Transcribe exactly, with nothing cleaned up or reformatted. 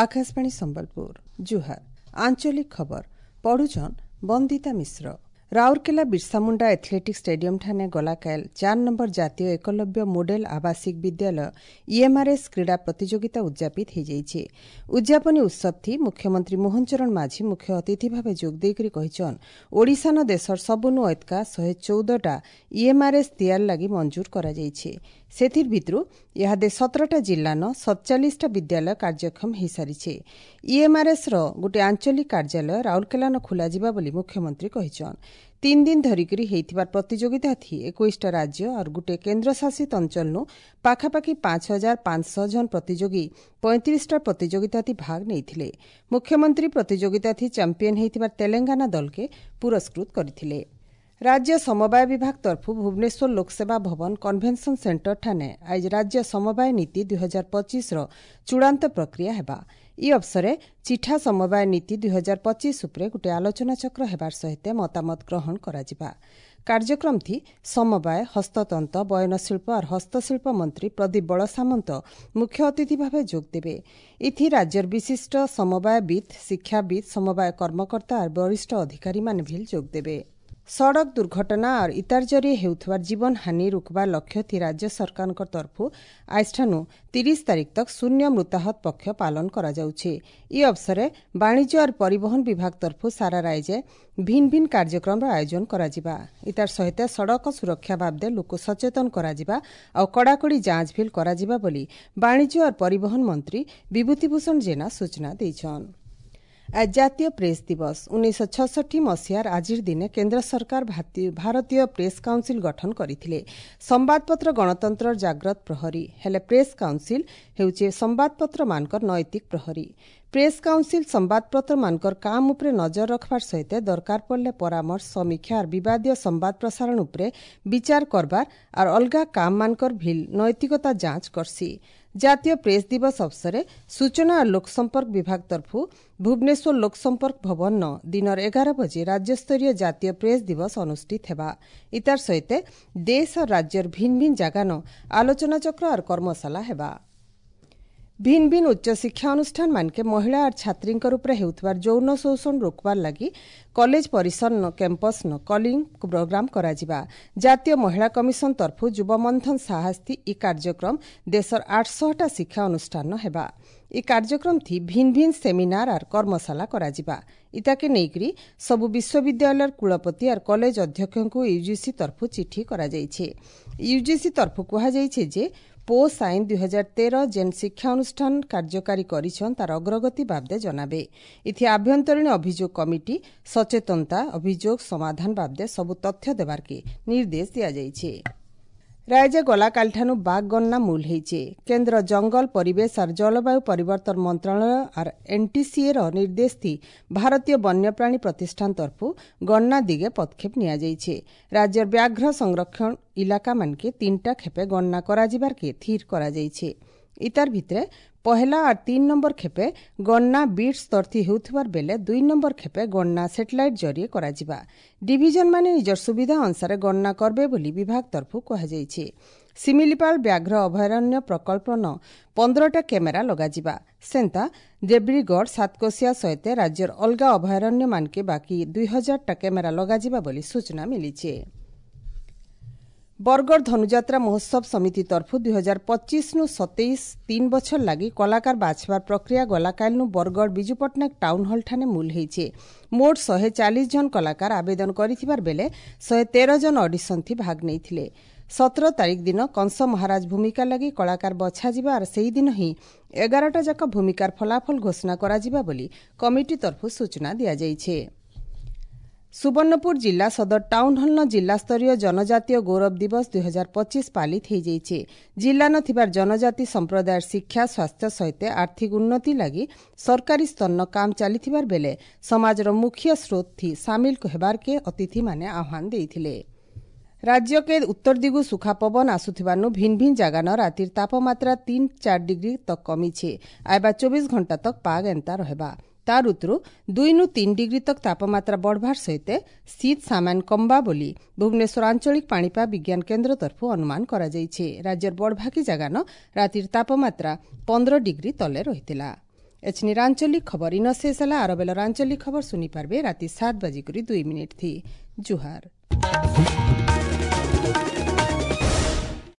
ଆକାଶବାଣୀ ସମ୍ବଲପୁର ଜୁହାର ଆଞ୍ଚଳିକ ଖବର ପଢୁଛନ୍ ବନ୍ଦିତା ମିଶ୍ର ରାଉରକେଲା ବିର୍ସାମୁଣ୍ଡା ଆଥଲେଟିକ୍ ଷ୍ଟାଡିୟମଠାନେ ଗଲାକାଲ ଚାର ନମ୍ବର ଜାତୀୟ ଏକଲବ୍ୟ ମୋଡେଲ ଆବାସିକ ବିଦ୍ୟାଳୟ ଇଏମ୍ଆର୍ଏସ୍ କ୍ରୀଡ଼ା ପ୍ରତିଯୋଗିତା ଉଦ୍ଯାପିତ ହୋଇଯାଇଛି ଉଦ୍ଯାପନୀ ଉତ୍ସବଥି ମୁଖ୍ୟମନ୍ତ୍ରୀ ମୋହନ ଚରଣ ମାଝୀ ମୁଖ୍ୟ ଅତିଥି ଭାବେ ଯୋଗ ଦେଇକରି କହିଛନ୍ ଓଡ଼ିଶାନ ଦେଶର ସବୁନୁ ଐତକା ଶହେ ଚଉଦଟା ଇଏମ୍ଆର୍ଏସ୍ ତିଆର ଲାଗି ମଞ୍ଜୁର କରାଯାଇଛି ସେଥିର୍ ଭିତରୁ ଇହାଦେ ସତରଟା ଜିଲ୍ଲାନ ସତଚାଳିଶଟା ବିଦ୍ୟାଳୟ କାର୍ଯ୍ୟକ୍ଷମ ହୋଇସାରିছে ଇଏମ୍ଆର୍ଏସ୍ର ଗୋଟିଏ ଆଞ୍ଚଳିକ କାର୍ଯ୍ୟାଳୟ ରାଉରକେଲାନ ଖୋଲାଯିବା ବୋଲି ମୁଖ୍ୟମନ୍ତ୍ରୀ କହିଛନ୍ ତିନ୍ ଦିନ ଧରିକରି ହେଇଥିବାର ପ୍ରତିଯୋଗିତାଥି ଏକୋଇଶଟା ରାଜ୍ୟ ଆର୍ ଗୋଟିଏ କେନ୍ଦ୍ରଶାସିତ ଅଞ୍ଚଳନୁ ପାଖାପାଖି ପାଞ୍ଚ ହଜାର ପାଞ୍ଚଶହ ଜଣ ପ୍ରତିଯୋଗୀ ପଇଁତିରିଶଟା ପ୍ରତିଯୋଗିତାଥି ଭାଗ ନେଇଥିଲେ ମୁଖ୍ୟମନ୍ତ୍ରୀ ପ୍ରତିଯୋଗିତାଥି ଚାମ୍ପିୟନ ହେଇଥିବାର ତେଲେଙ୍ଗାନା ଦଲକେ ପୁରସ୍କୃତ କରିଥିଲେ ରାଜ୍ୟ ସମବାୟ ବିଭାଗ ତରଫୁ ଭୁବନେଶ୍ୱର ଲୋକସେବା ଭବନ କନଭେନସନ ସେଣ୍ଟର ଠାନେ ଆଜି ରାଜ୍ୟ ସମବାୟ ନୀତି ଦୁଇ ହଜାର ପଚିଶର ଚୂଡ଼ାନ୍ତ ପ୍ରକ୍ରିୟା ହେବା ଇ ଅବସରେ ଚିଠା ସମବାୟ ନୀତି ଦୁଇ ହଜାର ପଚିଶ ଉପରେ ଗୋଟିଏ ଆଲୋଚନାଚକ୍ର ହେବାର ସହିତ ମତାମତ ଗ୍ରହଣ କରାଯିବା କାର୍ଯ୍ୟକ୍ରମଥି ସମବାୟ ହସ୍ତତନ୍ତ ବୟନଶିଳ୍ପ ଆର୍ ହସ୍ତଶିଳ୍ପ ମନ୍ତ୍ରୀ ପ୍ରଦୀପ ବଳସାମନ୍ତ ମୁଖ୍ୟ ଅତିଥି ଭାବେ ଯୋଗଦେବେ ଇଥି ରାଜ୍ୟର ବିଶିଷ୍ଟ ସମବାୟବିତ୍ ଶିକ୍ଷାବିତ୍ ସମବାୟ କର୍ମକର୍ତ୍ତା ଆର୍ ବରିଷ୍ଠ ଅଧିକାରୀମାନେ ଭିଲ୍ ଯୋଗଦେବେ ସଡ଼କ ଦୁର୍ଘଟଣା ଆର୍ ଇତାର ଜରିଏ ହେଉଥିବାର ଜୀବନହାନି ରୋକବାର ଲକ୍ଷ୍ୟ ରାଜ୍ୟ ସରକାରଙ୍କ ତରଫୁ ଆଜିଠାନୁ ତିରିଶ ତାରିଖ ତକ୍ ଶୂନ୍ୟ ମୃତାହତ ପକ୍ଷ ପାଳନ କରାଯାଉଛି ଇ ଅବସରେ ବାଣିଜ୍ୟ ଆର୍ ପରିବହନ ବିଭାଗ ତରଫୁ ସାରା ରାଜ୍ୟ ଭିନ୍ ଭିନ୍ କାର୍ଯ୍ୟକ୍ରମର ଆୟୋଜନ କରାଯିବା ଇତାର ସହିତ ସଡ଼କ ସୁରକ୍ଷା ବାବଦେ ଲୋକ ସଚେତନ କରାଯିବା ଆଉ କଡ଼ାକଡ଼ି ଯାଞ୍ଚ ଭିଲ୍ କରାଯିବା ବୋଲି ବାଣିଜ୍ୟ ଆର୍ ପରିବହନ ମନ୍ତ୍ରୀ ବିଭୂତିଭୂଷଣ ଜେନା ସୂଚନା ଦେଇଛନ୍ ଆଜି ଜାତୀୟ ପ୍ରେସ୍ ଦିବସ ଉଣେଇଶହ ଛଷଠି ମସିହାର ଆଜିର ଦିନେ କେନ୍ଦ୍ର ସରକାର ଭାରତୀୟ ପ୍ରେସ୍ କାଉନ୍ସିଲ୍ ଗଠନ କରିଥିଲେ ସମ୍ବାଦପତ୍ର ଗଣତନ୍ତ୍ରର ଜାଗ୍ରତ ପ୍ରହରୀ ହେଲେ ପ୍ରେସ୍ କାଉନ୍ସିଲ୍ ହେଉଛି ସମ୍ବାଦପତ୍ରମାନଙ୍କର ନୈତିକ ପ୍ରହରୀ ପ୍ରେସ୍ କାଉନ୍ସିଲ୍ ସମ୍ବାଦପତ୍ରମାନଙ୍କର କାମ ଉପରେ ନଜର ରଖବାର ସହିତ ଦରକାର ପଡ଼ିଲେ ପରାମର୍ଶ ସମୀକ୍ଷା ଆର୍ ବିବାଦୀୟ ସମ୍ବାଦ ପ୍ରସାରଣ ଉପରେ ବିଚାର କରବାର ଆର୍ ଅଲଗା କାମମାନଙ୍କର ଭିଲ୍ ନୈତିକତା ଯାଞ୍ଚ କରସି ଜାତୀୟ ପ୍ରେସ୍ ଦିବସ ଅବସରେ ସୂଚନା ଓ ଲୋକସମ୍ପର୍କ ବିଭାଗ ତରଫୁ ଭୁବନେଶ୍ୱର ଲୋକସମ୍ପର୍କ ଭବନ ଦିନର ଏଗାର ବଜେ ରାଜ୍ୟସ୍ତରୀୟ ଜାତୀୟ ପ୍ରେସ୍ ଦିବସ ଅନୁଷ୍ଠିତ ହେବା ଇତାର ସହିତ ଦେଶ ଓ ରାଜ୍ୟର ଭିନ୍ ଭିନ୍ ଜାଗାନ ଆଲୋଚନାଚକ୍ର ଆର୍ କର୍ମଶାଳା ହେବା ଭିନ୍ ଭିନ୍ ଉଚ୍ଚଶିକ୍ଷା ଅନୁଷ୍ଠାନ ମାନକେ ମହିଳା ଆର୍ ଛାତ୍ରୀଙ୍କର ଉପରେ ହେଉଥିବାର ଯୌନ ଶୋଷଣ ରୋକବାର ଲାଗି କଲେଜ ପରିସର କ୍ୟାମ୍ପସ୍ନ କଲିଂ ପ୍ରୋଗ୍ରାମ କରାଯିବା ଜାତୀୟ ମହିଳା କମିଶନ ତରଫୁ ଯୁବମନ୍ଥନ ସାହସ୍ତି ଇ କାର୍ଯ୍ୟକ୍ରମ ଦେଶର ଆଠଶହଟା ଶିକ୍ଷା ଅନୁଷ୍ଠାନ ହେବା ଇ କାର୍ଯ୍ୟକ୍ରମଥି ଭିନ୍ ଭିନ୍ ସେମିନାର ଆର୍ କର୍ମଶାଳା କରାଯିବା ଇତାକେ ନେଇକରି ସବୁ ବିଶ୍ୱବିଦ୍ୟାଳୟର କୁଳପତି ଆର୍ କଲେଜ ଅଧ୍ୟକ୍ଷଙ୍କୁ ୟୁଜିସି ତରଫୁ ଚିଠି କରାଯାଇଛି ୟୁଜିସି ତରଫୁ କୁହାଯାଇଛି ଯେ ପୋସ୍ ଆଇନ ଦୁଇ ହଜାର ତେର ଯେନ୍ ଶିକ୍ଷା ଅନୁଷ୍ଠାନ କାର୍ଯ୍ୟକାରୀ କରିଛନ୍ ତାର ଅଗ୍ରଗତି ବାବଦେ ଜଣାବେ ଇଥି ଆଭ୍ୟନ୍ତରୀଣ ଅଭିଯୋଗ କମିଟି ସଚେତନତା ଅଭିଯୋଗ ସମାଧାନ ବାବଦେ ସବୁ ତଥ୍ୟ ଦେବାର୍କେ ନିର୍ଦ୍ଦେଶ ଦିଆଯାଇଛି ରାଜ୍ୟ ଗଲାକାଲିଠାନୁ ବାଘ ଗଣନା ମୂଲ ହେଇଛେ କେନ୍ଦ୍ର ଜଙ୍ଗଲ ପରିବେଶ ଆର୍ ଜଳବାୟୁ ପରିବର୍ତ୍ତନ ମନ୍ତ୍ରଣାଳୟ ଆର୍ ଏନ୍ଟିସିଏର ନିର୍ଦ୍ଦେଶ ଭାରତୀୟ ବନ୍ୟପ୍ରାଣୀ ପ୍ରତିଷ୍ଠାନ ତରଫୁ ଗଣନା ଦିଗେ ପଦକ୍ଷେପ ନିଆଯାଇଛି ରାଜ୍ୟର ବ୍ୟାଘ୍ର ସଂରକ୍ଷଣ ଇଲାକାମାନକେ ତିନିଟା ଖେପେ ଗଣନା କରାଯିବାର୍କେ ଥିର କରାଯାଇଛି ଇତାର ଭିତରେ ପହେଲା ଆର୍ ତିନ୍ ନମ୍ବର ଖେପେ ଗଣନା ବିଟ୍ ସ୍ତରଥି ହେଉଥିବାର ବେଲେ ଦୁଇ ନମ୍ବର ଖେପେ ଗଣନା ସେଟେଲାଇଟ୍ ଜରିଏ କରାଯିବା ଡିଭିଜନ ମାନେ ନିଜର ସୁବିଧା ଅନୁସାରେ ଗଣନା କରବେ ବୋଲି ବିଭାଗ ତରଫୁ କୁହାଯାଇଛି ଶିମିଳିପାଳ ବ୍ୟାଘ୍ର ଅଭୟାରଣ୍ୟ ପ୍ରକଳ୍ପନ ପନ୍ଦରଟା କ୍ୟାମେରା ଲଗାଯିବା ସେନ୍ତା ଦେବ୍ରିଗଡ଼ ସାତକୋଶିଆ ସହିତ ରାଜ୍ୟର ଅଲଗା ଅଭୟାରଣ୍ୟମାନକେ ବାକି ଦୁଇ ହଜାରଟା କ୍ୟାମେରା ଲଗାଯିବା ବୋଲି ସୂଚନା ମିଳିଛି ବରଗଡ଼ ଧନୁଯାତ୍ରା ମହୋତ୍ସବ ସମିତି ତରଫୁ ଦୁଇ ହଜାର ପଚିଶନୁ ସତେଇଶ ତିନ୍ ବଛର ଲାଗି କଳାକାର ବାଛବାର ପ୍ରକ୍ରିୟା ଗଲାକାଲିନୁ ବରଗଡ଼ ବିଜୁ ପଟ୍ଟନାୟକ ଟାଉନ୍ ହଲ୍ ଠାନେ ମୂଲ ହେଇଛେ ମୋଟ ଶହେ ଚାଳିଶ ଜଣ କଳାକାର ଆବେଦନ କରିଥିବାର ବେଲେ ଶହେ ତେର ଜଣ ଅଡିସନ୍ଥି ଭାଗ ନେଇଥିଲେ ସତର ତାରିଖ ଦିନ କଂସ ମହାରାଜ ଭୂମିକା ଲାଗି କଳାକାର ବଛାଯିବା ଆର୍ ସେହିଦିନ ହିଁ ଏଗାରଟା ଯାକ ଭୂମିକାର ଫଳାଫଳ ଘୋଷଣା କରାଯିବା ବୋଲି କମିଟି ତରଫୁ ସୂଚନା ଦିଆଯାଇଛି ସୁବର୍ଣ୍ଣପୁର ଜିଲ୍ଲା ସଦର ଟାଉନ୍ ହଲ୍ନ ଜିଲ୍ଲାସ୍ତରୀୟ ଜନଜାତୀୟ ଗୌରବ ଦିବସ ଦୁଇ ହଜାର ପଚିଶ ପାଳିତ ହୋଇଯାଇଛି ଜିଲ୍ଲାନ ଥିବାର ଜନଜାତି ସମ୍ପ୍ରଦାୟର ଶିକ୍ଷା ସ୍ୱାସ୍ଥ୍ୟ ସହିତ ଆର୍ଥିକ ଉନ୍ନତି ଲାଗି ସରକାରୀ ସ୍ତରନ କାମ ଚାଲିଥିବାର ବେଲେ ସମାଜର ମୁଖ୍ୟ ସ୍ରୋତଥି ସାମିଲ ହେବାର୍କେ ଅତିଥିମାନେ ଆହ୍ୱାନ ଦେଇଥିଲେ ରାଜ୍ୟକେ ଉତ୍ତର ଦିଗୁ ସୁଖା ପବନ ଆସୁଥିବାନୁ ଭିନ୍ ଭିନ୍ ଜାଗାନ ରାତିର ତାପମାତ୍ରା ତିନ୍ ଚାର୍ ଡିଗ୍ରୀ ତକ୍ କମିଛେ ଆଇବା ଚବିଶ ଘଣ୍ଟା ତକ୍ ପାଗ ଏନ୍ତା ରହେବା ତାର ଉତରୁ ଦୁଇନୁ ତିନ୍ ଡିଗ୍ରୀ ତକ୍ ତାପମାତ୍ରା ବଢ଼ବାର ସହିତ ଶୀତ ସାମାନ୍ୟ କମ୍ବା ବୋଲି ଭୁବନେଶ୍ୱର ଆଞ୍ଚଳିକ ପାଣିପାଗ ବିଜ୍ଞାନ କେନ୍ଦ୍ର ତରଫରୁ ଅନୁମାନ କରାଯାଇଛି ରାଜ୍ୟର ବଡ଼ଭାଗୀ ଜାଗାନ ରାତିର ତାପମାତ୍ରା ପନ୍ଦର ଡିଗ୍ରୀ ତଲେ ରହିଥିଲା ଏଛିନିର ଆଞ୍ଚଳିକ ଖବର ଇନ ଶେଷ ହେଲା। ଆର ବେଲର ଆଞ୍ଚଳିକ ଖବର ଶୁନି ପାରବେ ରାତି ସାତ ବାଜିକରି ଦୁଇ ମିନିଟ୍ ଥି। ଜୁହାର।